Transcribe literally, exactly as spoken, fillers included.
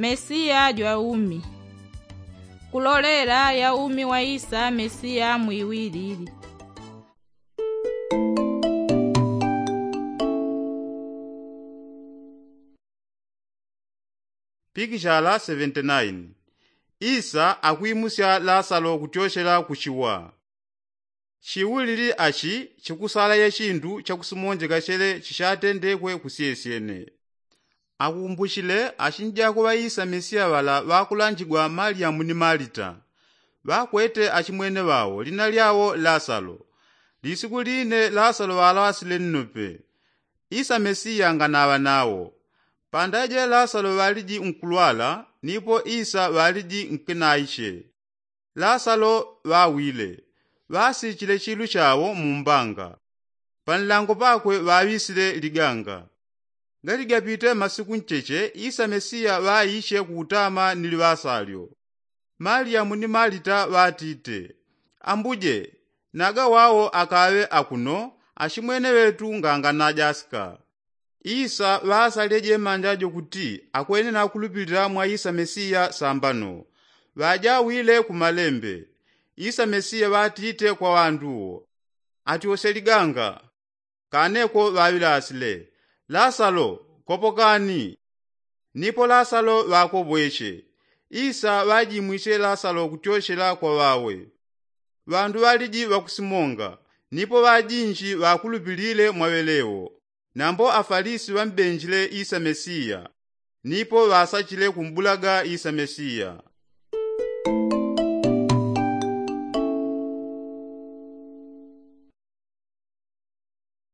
Mesiya jwa umi. Kulolela ya umi wa isa mesiya mwiwilili. Pikishala seventy nine. Isa akwimusya lasalo kutyoshela kuchiwa. Chiwulili achi chikusala ya chindu chakusimonjeka chele chichatendekwe kusyesyene. Akumbuchile achinjako ŵa isa mesiya ŵala ŵakulanjigwa malyamu ni malita. Ŵakwete achimwene ŵao lina lyao lasalo. Lisiku line lasalo ŵalawasile nnope. Isa mesiya nganaŵa nawo. Pandaje lasalo ŵaliji nkulwala nipo isa ŵaliji nkinaiche. Lasalo ŵawile. Ŵasichile chilu chawo mumbanga. Panlango pakwe ŵaŵisile liganga. Galigapite masiku ncheche isa mesiya ŵaiche kutama ni liŵasalyo. Maliyamu ni malita ŵatite, ambuje, naga wawo akaŵe akuno. Achimwene ŵetu nganganajasika. Isa ŵasalile jemanja jo kuti akwene nakulupilila mwa isa mesiya sambano. Ŵajawile ku malembe. Isa mesiya ŵatite kwa ŵandu wo, atyosye liganga. Kaneko ŵaŵilasile, lasalo, kopokani. Nipo lasalo ŵakobweche. Isa ŵajimwiche lasalo kutyochela kwa ŵawe. Ŵandu ŵaliji ŵakusimonga. Nipo ŵajinji ŵakulupilile mwa ŵelewo. Nambo afalisi ŵambenjile isa mesiya. Nipo ŵasachile kumbulaga isa mesiya.